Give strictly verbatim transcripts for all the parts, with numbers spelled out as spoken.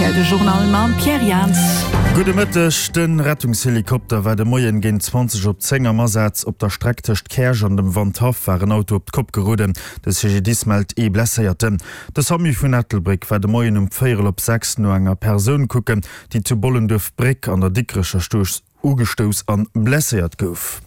rtl, de Journal mam Pierre Jans. Gudde Mëtteg, De Rettungshelikopter war de Moien géint zwanzeg op zéng am Asaz. Op der Streck tëscht Käerch an dem Wandhaff war en Auto op d'Kopp geroden. De C G D I S mellt ee Blesséierten. De SAMU vun Ettelbréck war de Moien um véierel op sechs no enger Persoun kucken, déi zu Bollenduerf-Bréck an der Dikrecher Strooss ugestouss an blesséiert gouf.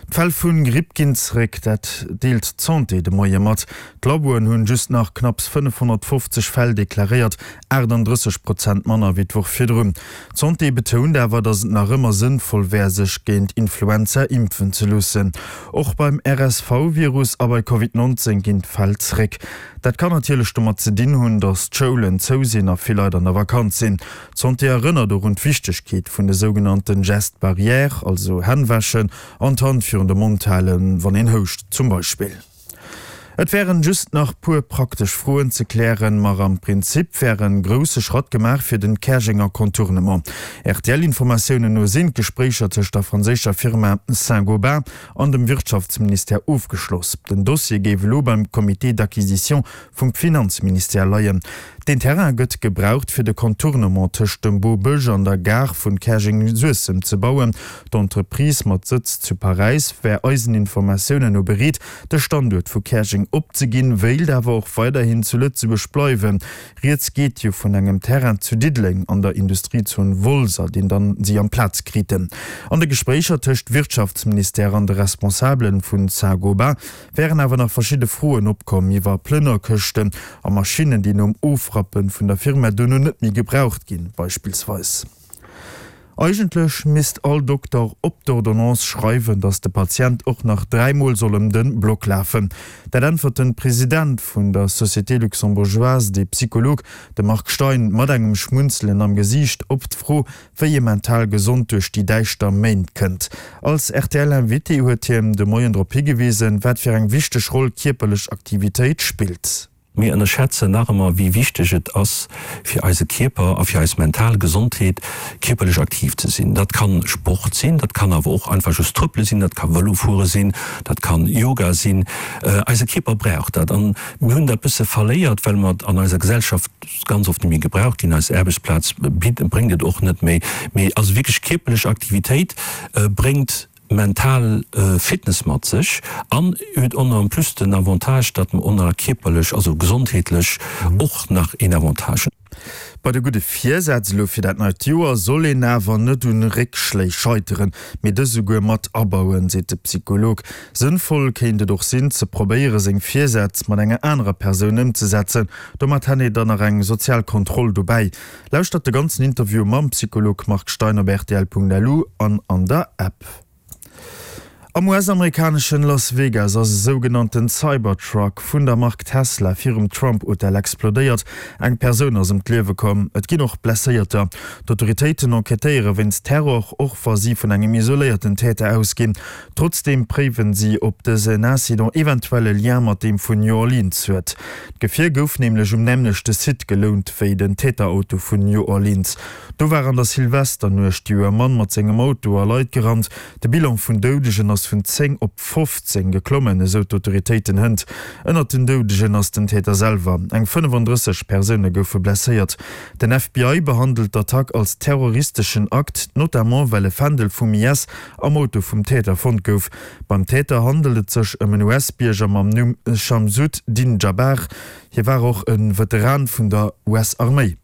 D'Fäll vu Gripp ginn zeréck, dat deelt d'Santé de Moie mat. D'Laboen hunn just nach knapps fënnefhonnertfofzeg Fäll deklaréiert, aachtanddrësseg Prozent manner wéi d'Woch virdrun. D'Santé betount awer, datt et nach ëmmer sënnvoll wär, sech géint Influenza impfen ze loossen. Och beim R S V-Virus a bei Covid nonzéng ginn d'Fäll zeréck. Dat kann natierlech domat ze dinn hunn, datt d'Schoulen zou sinn a vill Leit an der Vakanz sinn. D'Santé erënnert och un d'Wichtegkeet vun de sougenannten Gestes barrières, also Hänn wäschen an d'Hand virun de Mond halen, wann een houscht zum Beispill. Et wären just nach puer praktesch Froen ze klären, ma am Prinzip wär e grousse Schratt gemaach fir den Käerjenger Contournement. R T L-Informatiounen no sinn d'Gespréicher tëscht der franséischer Firma Saint-Gobain an dem Wirtschaftsministère ofgeschloss. Den Dossier géif elo beim Comité d'acquisition vum Finanzministère leien. Den Terrain gëtt gebraucht fir de Contournement tëscht dem Bobësch an der Gare vun Käerjeng-Suessem ze bauen. D'Entreprise mat Sëtz zu Paräis wär eisen Informatiounen no bereet, de Standuert vu Käerjeng opzeginn, wéilt awer och weiderhin zu Lëtzebuerg bleiwen. Rieds geet jo vun engem Terrain zu Diddeleng an der Industriezon Wolser, deen dann si amplaz kriten. An de Gespréicher tëscht Wirtschaftsministère an de Responsabelen vun Saint-Gobain wären awer nach verschidde Froen opkomm iwwer Plënnerkëschten a Maschinnen, déi nom Ofrappen vun der Firma duerno net méi gebraucht ginn, beispillsweis. Eigentlech misst all Dokter op d'Ordonnance schreiwen, datt de Patient och nach dräimol soll ëm de Block lafen. Dat äntwert de President vun der Société luxembourgeoise des psychologues, de Marc Stein, mat engem Schmunzelen am Gesiicht op d'Fro, wéi ee mental gesond duerch déi däischter Méint kënnt. Als R T L-Invité huet hien de Moien drop higewisen, wat fir eng wichteg Roll kierperlech Aktivitéit spillt. Mir ënnerschätzen nach ëmmer, wéi wichteg et ass fir eise Kierper a fir eis mental Gesondheet, kierperlech aktiv ze sinn. Dat kann Sport sinn, dat kann awer och einfach just trëppele sinn, dat ka Vëlofuere sinn, dat kann Yoga sinn. Eise Kierper brauch dat an mir hunn dat bësse verléiert, well mer an eiser Gesellschaft ganz oft net méi gebraucht ginn. Eis Aarbechtsplaz bréngt et och net méi. Mee also wierklech kierperlech Aktivitéit bréngt mental Fitness mat sech an huet och nach en plus den Avantage, datt mer och nach kierperlech, also gesondheetlech och nach een Avantage hunn. Bei de gudde Virsätz elo fir dat neit Joer soll een awer net un Réckschléi scheiteren, mee dës esouguer mat abauen, seet de Psycholog. Sënnvoll kéint et och sinn, ze probéiere seng Virsätz mat enger anerer Persoun ëmzesetzen. Domat hätt een dann nach eng sozial Kontroll dobäi. Lauschtert de ganzen Interview mam Psycholog Marc Stein op rtl Punkt L U an an der App. Am U S-amerikaneschen Las Vegas ass e sougenannten Cybertruck vun der Mark Tesla virum Trump-Hotel explodéiert. Eng Persoun ass ëm d'Liewe komm, et ginn och Blesséierter. D'Autoritéiten enquêtéiere wéinst Terror, och wa si vun engem isoléierten Täter ausginn. Trotzdeem préiwen si, ob dësen Incident eventuell e Lien mat deem vun New Orleans huet. D'Gefier gouf nämlech um nämmlechte Site gelount wéi den Täterauto vun New Orleans. Do war an der Silvesternuecht jo e Mann mat sengem Auto a Leit gerannt. De Bilan vun Doudegen ass vun zéng op fofzéng geklommen, esou d'Autoritéiten hënt. Ënnert den Doudegen ass den Täter selwer. Eng fënnefandrësseg Persoune goufe blesséiert. Den F B I behandelt d'Attack als terroristeschen Akt, notamment well e Fändel vum I S am Auto vum Täter fonnt gouf. Beim Täter handelt et sech ëm en U S-Bierger mam Numm Shamsud-Din Jabbar. Hie war och e Veteran vun der U S-Arméi.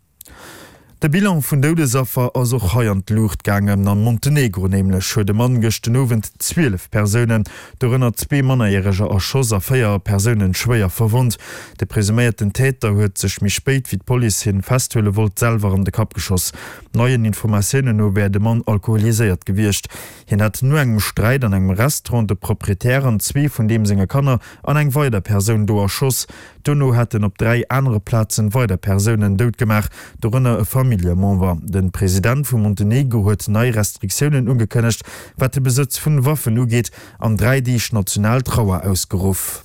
De Bilan vun Doudesaffer ass och hei an d'Luucht gaangen. Am Montenegro nämlech huet e Mann gëschter Owend zwielef Persounen, dorënner zwee Mannerjäreger, erschoss a véier Persounen schwéier verwonnt. De presuméierten Täter huet sech méi spéit, wéi d'Police hien festhuele wollt, selwer an de Kapp geschoss. Neien Informatiounen no wär de Mann alkoholiséiert gewiescht. Hien hätt no engem Sträit an engem Restaurant de Proprietär an zwee vun deem senge Kanner an eng weider Persoun do erschoss. Dono hätt en op dräi anere Plazen weider Persounen dout gemaach, dorënner e Familljemember. De President vu Montenegro huet nei Restriktiounen ugekënnegt, wat de Besëtz vun Waffen ugeet, an dräi Deeg national Trauer ausgeruff.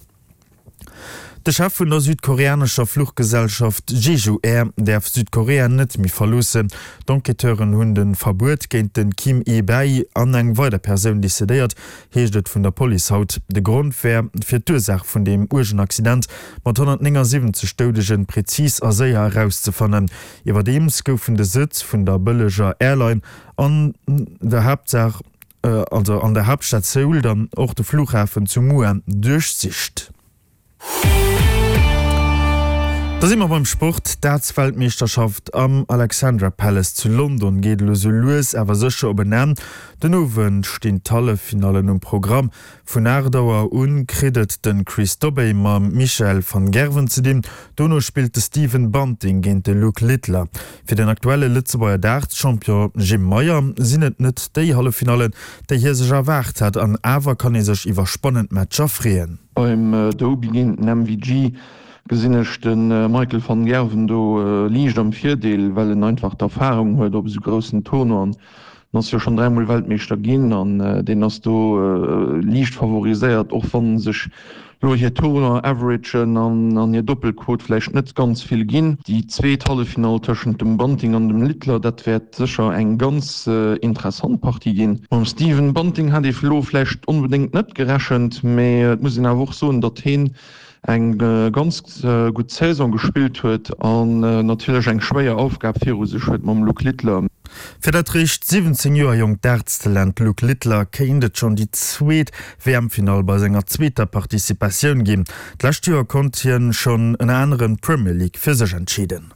De Chef vun der südkoreanescher Fluchgesellschaft Jeju Air däerf Südkorea net méi verloossen. D'Enquêteuren hunn de Verbuet géint de Kim Yi-bae an eng weider Persoun decidéiert, heescht et vun der Police haut. De Grond wär, fir d'Ursaach vun deem uergen Accident mat honnertnéngasiwwenzeg Doudegen prezis a séier erauszefannen. Iwwerdeems goufen de Sëtz vun der bëlleger Airline an der Haaptsaach, also an der Haaptstad Seoul, dann och de Flughafen zu Muan duerchsicht. Da si mer beim Sport, D'Darts-Weltmeeschterschaft am Alexandra Palace zu London geet elo sou lues awer sécher op en Enn. Den Owend stinn d'Halleffinallen um Programm. Vun aacht Auer un kritt et de Chris Dobey mam Michael van Gerwen ze dinn. Dono spillt de Stephen Bunting géint de Luke Littler. Fir den aktuelle Lëtzebuerger Darts-Champion Jim Mayer sinn et net déi Halleffinallen, déi hie sech erwaart hat. An awer kann ee sech iwwer spannend Matcher freeën. Beim Dobey géint den M V G gesinn ech de Michael van Gerwen do liicht am Virdeel, well en einfach d'Erfarung huet op esou groussen Tournoien. En ass jo schonn dräimol Weltmeeschter ginn an deen ass do liicht favoriséiert, och wa sech lo hir Tournoi-Averagen an hir Doppelquot vläicht net ganz vill ginn. Déi zweet Halleffinall tëschent dem Bunting an dem Littler, dat wäert sécher eng ganz interessant Partie ginn. Mam Stephen Bunting hat ee lo vläicht onbedéngt net gerechent, mee et muss een awer och soen, datt heen eng ganz gutt Saison gespillt huet an natierlech eng schwéier Aufgab viru sech huet mam Luke Littler. Fir dat réischt siwwenzéng Joer jonkt Darts-Talent Luke Littler kéint et schonn déi zweet W M-Finall bei senger zweeter Participatioun ginn. D'lescht Joer konnt hien schonn ënner anerem d'Premier League fir sech entscheeden.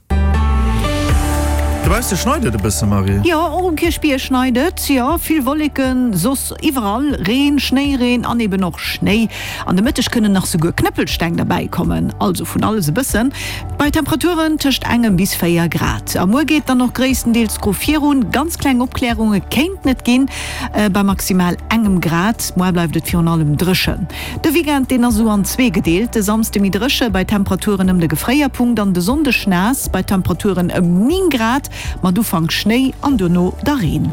Dobausse schneit et e bësse, Marie. Jo, och um Kierchbierg schneit et, jo, vill Wolleken, soss iwwerall Reen, Schnéireen an eben och Schnéi. An de Mëtteg kënnen nach souguer Knëppelsteng derbäi kommen, also vun alles e bëssen, bei Temperaturen tëscht engem bis véier Grad. A muer geet dann och gréisstendeels gro virun, ganz kleng Opklärunge kéinten et ginn, bei maximal engem Grad. Muer bleift et virun allem dréchen. De Weekend, deen ass esou an zwee gedeelt, de Samsde méi dréche bei Temperaturen ëm de Gefréierpunkt an de Sonndeg naass bei Temperaturen ëm néng Grad. Mat Ufank Schnéi an duerno da Reen.